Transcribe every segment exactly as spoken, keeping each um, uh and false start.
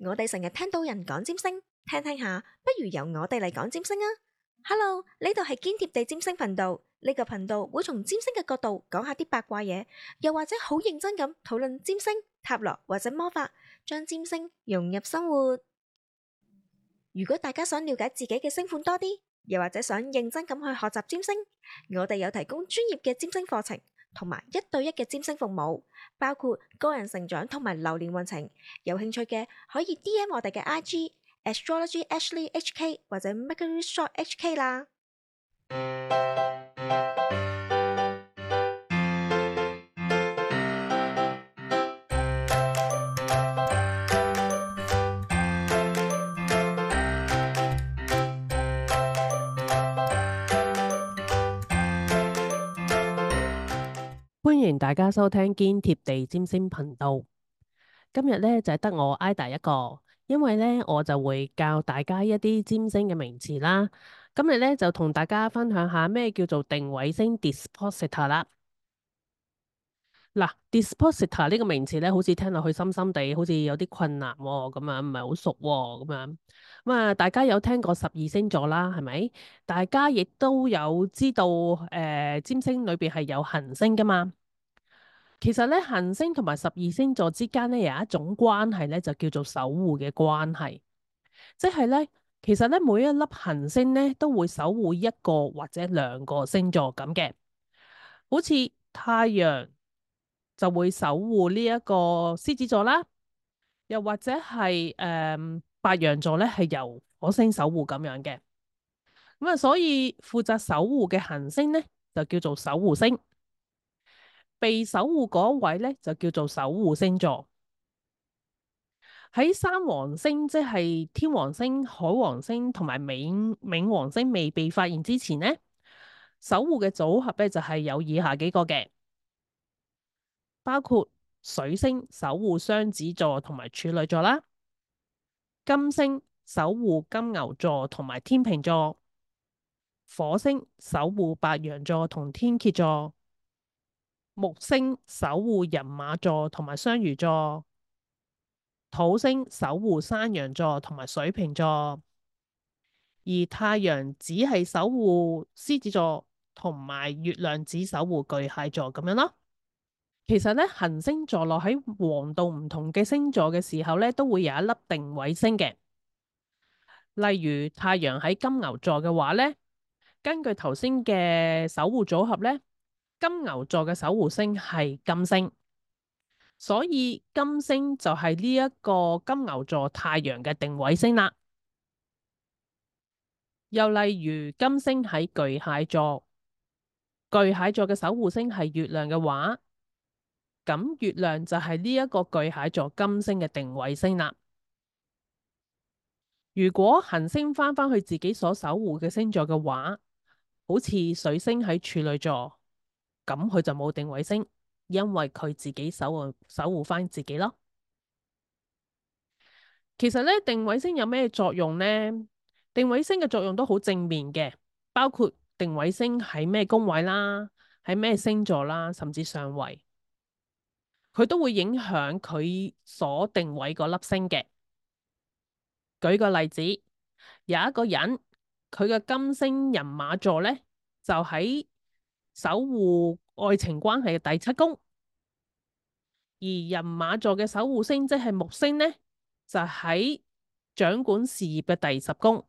我哋成日聽到人講占星，聽聽下，不如由我哋嚟講占星啊！Hello，呢度係堅貼地占星頻道，呢個頻道會從占星嘅角度講下啲八卦嘢，又或者好認真咁討論占星、塔羅或者魔法，將占星融入生活。如果大家想了解自己嘅星盤多啲，又或者想認真咁去學習占星，我哋有提供專業嘅占星課程，同埋一對一嘅占星服務，包括個人成長同埋流年運程。有興趣嘅可以 D M 我哋嘅 I G Astrology Ashley H K 或者 Mercury Shop H K 啦。歡迎大家收聽堅貼地占星頻道。今日咧就係得我 Ida 一個，因為咧我就會教大家一啲占星嘅名詞啦。今日咧就同大家分享下咩叫做定位星 Dispositor 啦。嗱，Dispositor 呢個名詞咧，好似聽落去深深地，好似有啲困難喎，咁樣唔係好熟喎，咁樣咁啊！大家有聽過十二星座啦，係咪？大家亦都有知道，誒、呃，占星裏邊係有行星噶嘛？其實咧，行星同埋十二星座之間咧有一種關係咧，就叫做守護嘅關係，即係咧，其實咧每一粒行星咧都會守護一個或者兩個星座咁嘅，好似太陽就會守護呢一個獅子座啦，又或者係誒、呃、白羊座咧係由火星守護咁樣嘅，咁啊，所以負責守護嘅行星咧就叫做守護星。被守護嗰位咧就叫做守護星座。喺三王星，即係天王星、海王星同埋冥冥王星未被發現之前呢，守護嘅組合咧就係有以下幾個嘅，包括水星守護雙子座同埋處女座啦，金星守護金牛座同埋天秤座，火星守護白羊座同天蠍座，木星守護人馬座同埋雙魚座，土星守護山羊座同埋水瓶座，而太陽只係守護獅子座，同埋月亮只守護巨蟹座咁樣咯。其實咧，行星座落喺黃道唔同嘅星座嘅時候咧，都會有一粒定位星嘅。例如太陽喺金牛座嘅話咧，根據頭先嘅守護組合咧，金牛座嘅守護星係金星。所以金星就係呢一個金牛座太陽嘅定位星啦。又例如金星喺巨蟹座，巨蟹座嘅守護星係月亮嘅話，咁月亮就係呢一個巨蟹座金星嘅定位星啦。如果行星翻返去自己所守護嘅星座嘅話，好似水星喺處女座，咁佢就冇定位星，因為佢自己守護守護翻自己咯。其實咧，定位星有咩作用呢？定位星嘅作用都好正面嘅，包括定位星喺咩宮位啦，喺咩星座啦，甚至上位，佢都會影響佢所定位嗰粒星嘅。舉個例子，有一個人佢嘅金星人馬座咧，就喺守護愛情關係嘅第七宮，而人馬座嘅守護星即係木星咧，就喺掌管事業嘅第十宮。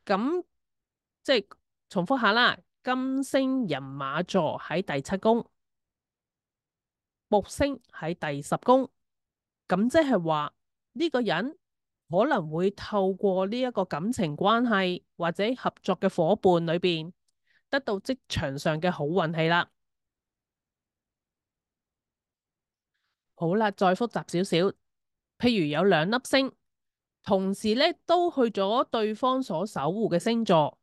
咁即係重複下啦，金星人馬座喺第七宮，木星喺第十宮。咁即係話呢個人可能會透過呢一個感情關係或者合作嘅夥伴裏邊，得到職場上嘅好運氣啦。好啦，再複雜少少，譬如有兩粒星，同時咧都去咗對方所守護嘅星座，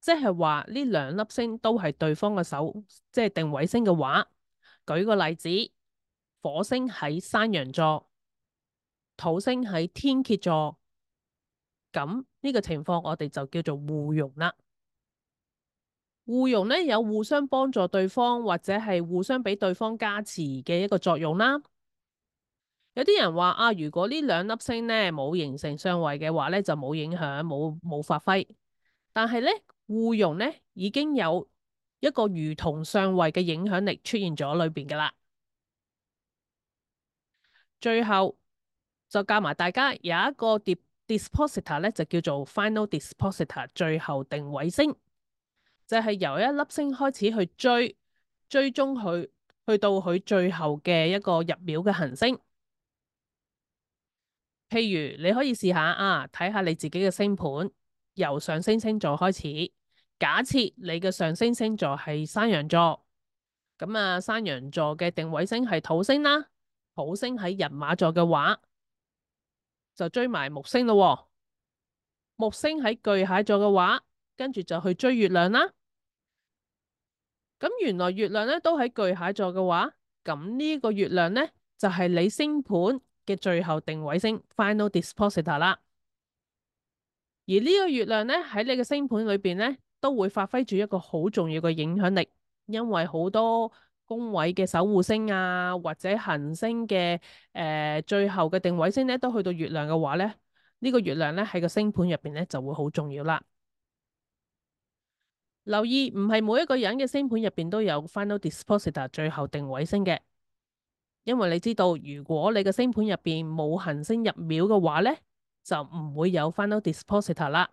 即係話呢兩粒星都係對方嘅守，即係定位星嘅話。舉個例子，火星喺山羊座，土星喺天蠍座，咁呢個情況我哋就叫做互容啦。互容咧有互相幫助對方或者係互相俾對方加持嘅一個作用啦。有啲人話啊，如果呢兩粒星咧冇形成相位嘅話咧，就冇影響，冇冇發揮。但係咧，互容咧已經有一個如同相位嘅影響力出現咗裏邊噶啦。最後就教埋大家有一個 dispositor 咧，就叫做 final dispositor 最後定位星，就係由一粒星開始去追追蹤佢，去到佢最後嘅一個入廟嘅行星。譬如你可以試下啊，睇下你自己嘅星盤，由上升星座開始。假設你嘅上升星座係山羊座，咁啊山羊座嘅定位星係土星啦，土星喺人馬座嘅話，就追埋木星咯喎。木星喺巨蟹座嘅話，跟住就去追月亮啦。咁原來月亮咧都喺巨蟹座嘅話，咁呢個月亮咧就係你星盤嘅最後定位星 final dispositor 啦。而呢個月亮咧喺你嘅星盤裏邊咧都會發揮住一個好重要嘅影響力，因為好多宮位嘅守護星啊，或者行星嘅誒、呃、最後嘅定位星咧都去到月亮嘅話咧，呢、呢個月亮咧喺個星盤入邊咧就會好重要啦。留意唔係每一個人嘅星盤入邊都有 final dispositor 最後定位星嘅，因為你知道如果你嘅星盤入邊冇行星入廟嘅話咧，就唔會有 final dispositor 啦。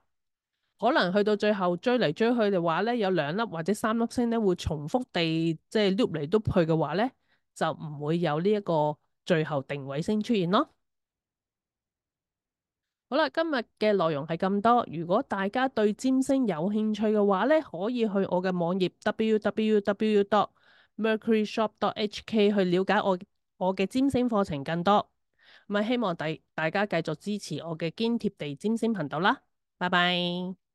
可能去到最後追嚟追去嘅話咧，有兩粒或者三粒星咧會重複地即係碌嚟碌去嘅話咧，就唔會有呢一個最後定位星出現咯。好啦，今日嘅內容係咁多。如果大家對占星有興趣嘅話咧，可以去我嘅網頁 w w w dot mercury shop dot h k 去了解我我嘅占星課程更多。咁啊，希望大大家繼續支持我嘅堅貼地占星頻道啦。拜拜。